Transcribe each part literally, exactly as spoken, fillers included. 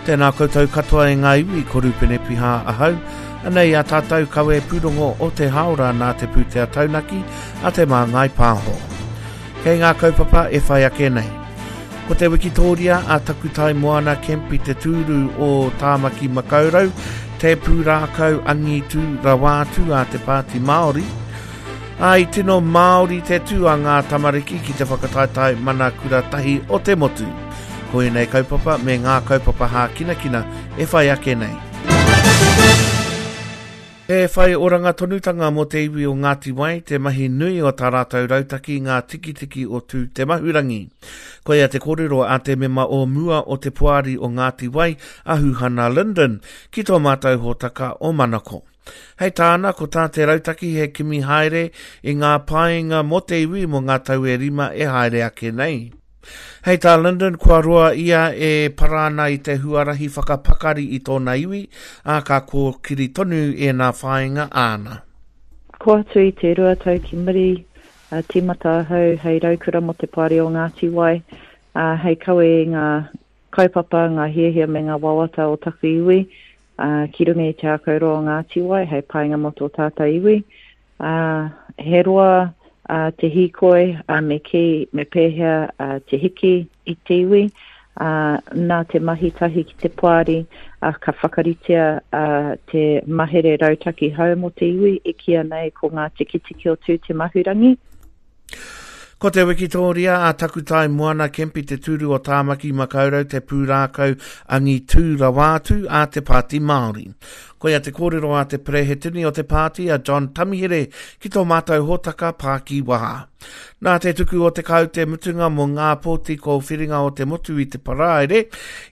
Tēnā koutou katoa e ngā iwi, ko Rupene Piha ahau. Anei a tātou kawe pūrongo o te haora nā te pūtea taunaki a te Māngai Pāho. Kei ngā kaupapa e whai ake nei. Ko te wikitōria a Takutai Moana Kemp i te tūru o Tāmaki Makaurau, te pūrākau angitu rawa atu a te Pāti Māori, Ā, i tino Māori te tū a ngā tamariki ki te whakataetae mana kura tahi o te motu. Ko ēnei kaupapa me ngā kaupapa hākinakina e whai ake nei. He whai oranga tonutanga mō te iwi o Ngāti Wai, te mahi nui o tā rātou rautaki ngā tikitiki o Tū Te Mahurangi. Koia te kōrero a te mema o mua o te poari o Ngāti Wai, a Huhana Lyndon, ki tō mātou hōtaka o Manako. Hei tāna, ko tā te rautaki he kimi haere i ngā painga mō te iwi mō ngā tau e rima e haere ake nei. Hei tā Lyndon, kua roa ia e para ana i te huarahi whakapakari i tōna iwi, ā, ka kōkiri tonu ēnā whāinga āna. Ko atu i te rua tau ki muri, uh, tīmata ahau hei raukura mō te Poari o Ngāti Wai, uh, hei kawe i ngā kaupapa, ngā hiahia me ngā wawata o taku iwi, uh, ki runga i te ākau roa o Ngāti Wai, hei painga mō tō tātou iwi. Uh, he roa uh, te hīkoi, uh, me kī, me pēhea uh, te hiki i te iwi, uh, nā te mahi tahi ki te poari, uh, ka whakaritea uh, te mahere rautaki hou mō te iwi, e kīia nei ko ngā tikitiki o Tū Te Mahurangi. Ko te wikitōria a Takutai Moana Kemp i te tūru o Tāmaki Makaurau te pūrākau angitū rawa atu a te Pāti Māori. Koia te kōrero a te Perehetini o te pāti a John Tamihere ki tō mātou hōtaka pākiwaha. Nā te tuku o te kaute mutunga mō ngā pōti kōwhiringa o te motu i te Paraire,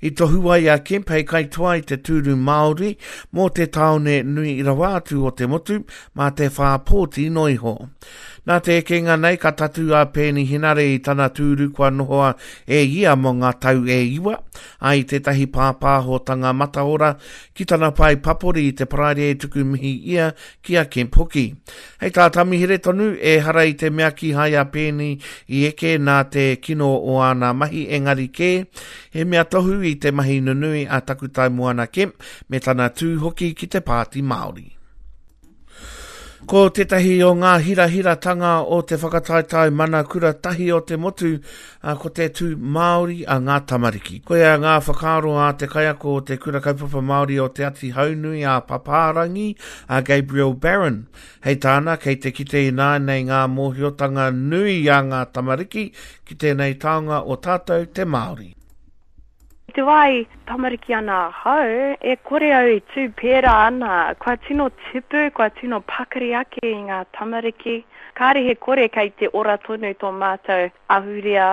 i tohu ai a Kemp hei kaitoa i te tūru Māori mō te tāone nui rawa atu o te motu mā te whā pōti noa iho. Nā te ekenga nei ka tatū a Peeni Henare i tana tūru kua nohoa e ia mō ngā tau e iwa, ā, i tētahi pāpāhotanga mataora ki tana pae papori i te Paraire e tuku mihi ia ki a Kemp hoki. Hei tā Tamihere tonu, ehara i te mea kīhai a Peeni i eke nā te kino o āna mahi engari kē, he mea tohu i te mahi nunui a Takutai Moana Kemp me tana tū hoki ki te Pāti Māori. Ko tētahi o ngā hirahiratanga o te whakataetae mana kura tahi o te motu, ko te tū Māori a ngā tamariki. Koia ngā whakaaro a te kaiako o te Kura Kaupapa Māori o Te Ati Haunui a Papārangi, a Gabriel Barron. Hei tāna, kei te kite ināianei ngā mōhiotanga nui a ngā tamariki ki tēnei taonga o tātou te Māori. I te wā i tamariki ana ahau, e kore au i tū pērā ana, kua tino tipu, kua tino pakari ake i ngā tamariki. Kāre he kore kei te ora tonu tō mātou ahurea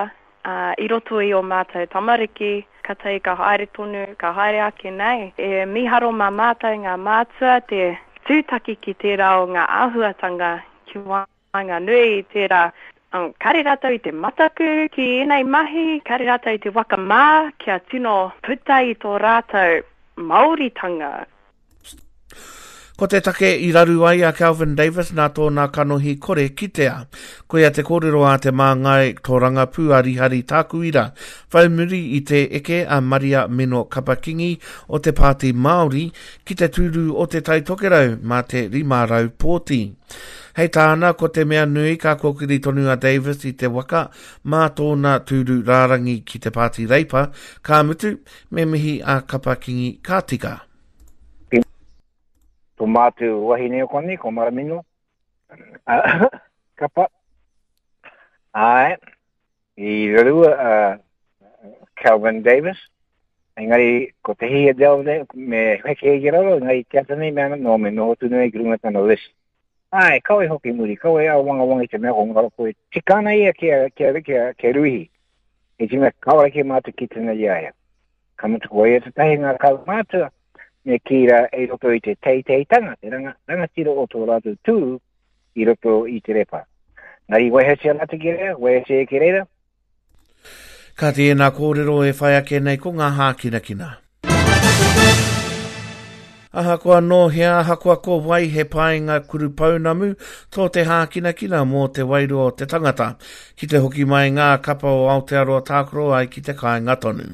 i roto i ō mātou tamariki, katahi ka haere tonu, ka haere ake nei. E mīharo mā mātou ngā mātua te tūtaki ki tērā o ngā āhuatanga ki waenganui i tērā. Kāre rātou i te mataku ki ēnei mahi, kāre rātou i te waka mā kia tino puta i tō rātou Māoritanga. Ko te take i raru ai a Kelvin Davis nā tōna kanohi kore kitea. Koia te kōrero a te māngai tōrangapū a Rihari Tākuira, whai muri i te eke a Maria Meno Kapa-Kingi o te Pāti Māori ki te tūru o Te Tai Tokerau mā te rima rau pōti. Hei tāna, ko te mea nui ka kōkiri tonu a Davis i te waka mā tōna tūru rārangi ki te Pāti Reipa, ka mutu, me mihi a Kapa-Kingi ka tika. Tō mātou wahine o konei, ko Maramino, Kapa, āe, i rarua a Kelvin Davis, engari ko te hihia Delvin me heke ki raro, engari te ata nei me ana, no, me noho tonu nei ki runga tana list. Āe, kawe hoki muri, kawe a wangawanga i te mea ko ngaro koe, tika ana ia kia, kia, kia, kia ruihi. I te mea kāore kē mātou ki tēnā i a ia. Ka mutu ko ia tētahi ngā kaumātua, me kī rā i roto i te teiteitanga, te ranga, rangatira o tō rātou tūru i roto i te repa. Engari waihotia rātou ki reira, waihotia ki reira. Kāti ēnā kōrero e whai ake nei ko ngā hākinakina. Ahakoa nō hea, ahakoa ko wai he painga kurupounamu tō te hākinakina mō te wairua o te tangata, ki te hoki mai ngā kapa o Aotearoa tākaro ai ki te kāinga tonu.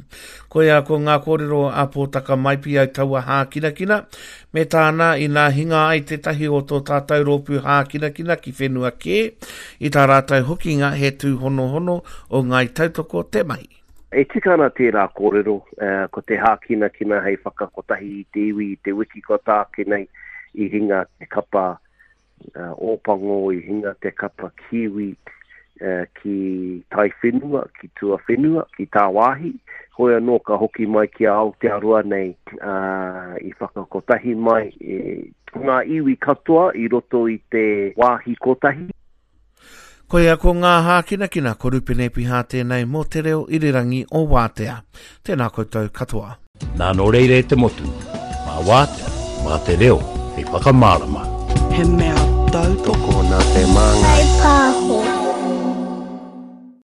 Koia ko ngā kōrero a Pōtaka Maipi au taua hākinakina, me tāna inā hinga ai tētahi o tō tātou rōpū hākinakina ki whenua kē, i tā rātou hokinga he tūhonohono o Ngāi Tautoko te mahi. E tika ana tērā kōrero, uh, ko te hākinakina hei whakakotahi i te iwi i te wiki kua tāke nei i hinga te kapa uh, Ōpango, i hinga te kapa Kiwi uh, ki Taiwhenua, ki Tuawhenua, ki Tāwāhi. Hoi anō ka hoki mai ki a Aotearoa nei uh, i whakakotahi mai e, ngā iwi katoa i roto i te wāhi kotahi. Koia ko ngā hākinakina ko Rupene Piha tēnei mō te reo irirangi o Wātea. Tēnā koutou katoa. Nā nō reira e te motu, mā Wātea, mā te reo, hei whakamārama. He mea tautoko nā te māngai. Whai pāho.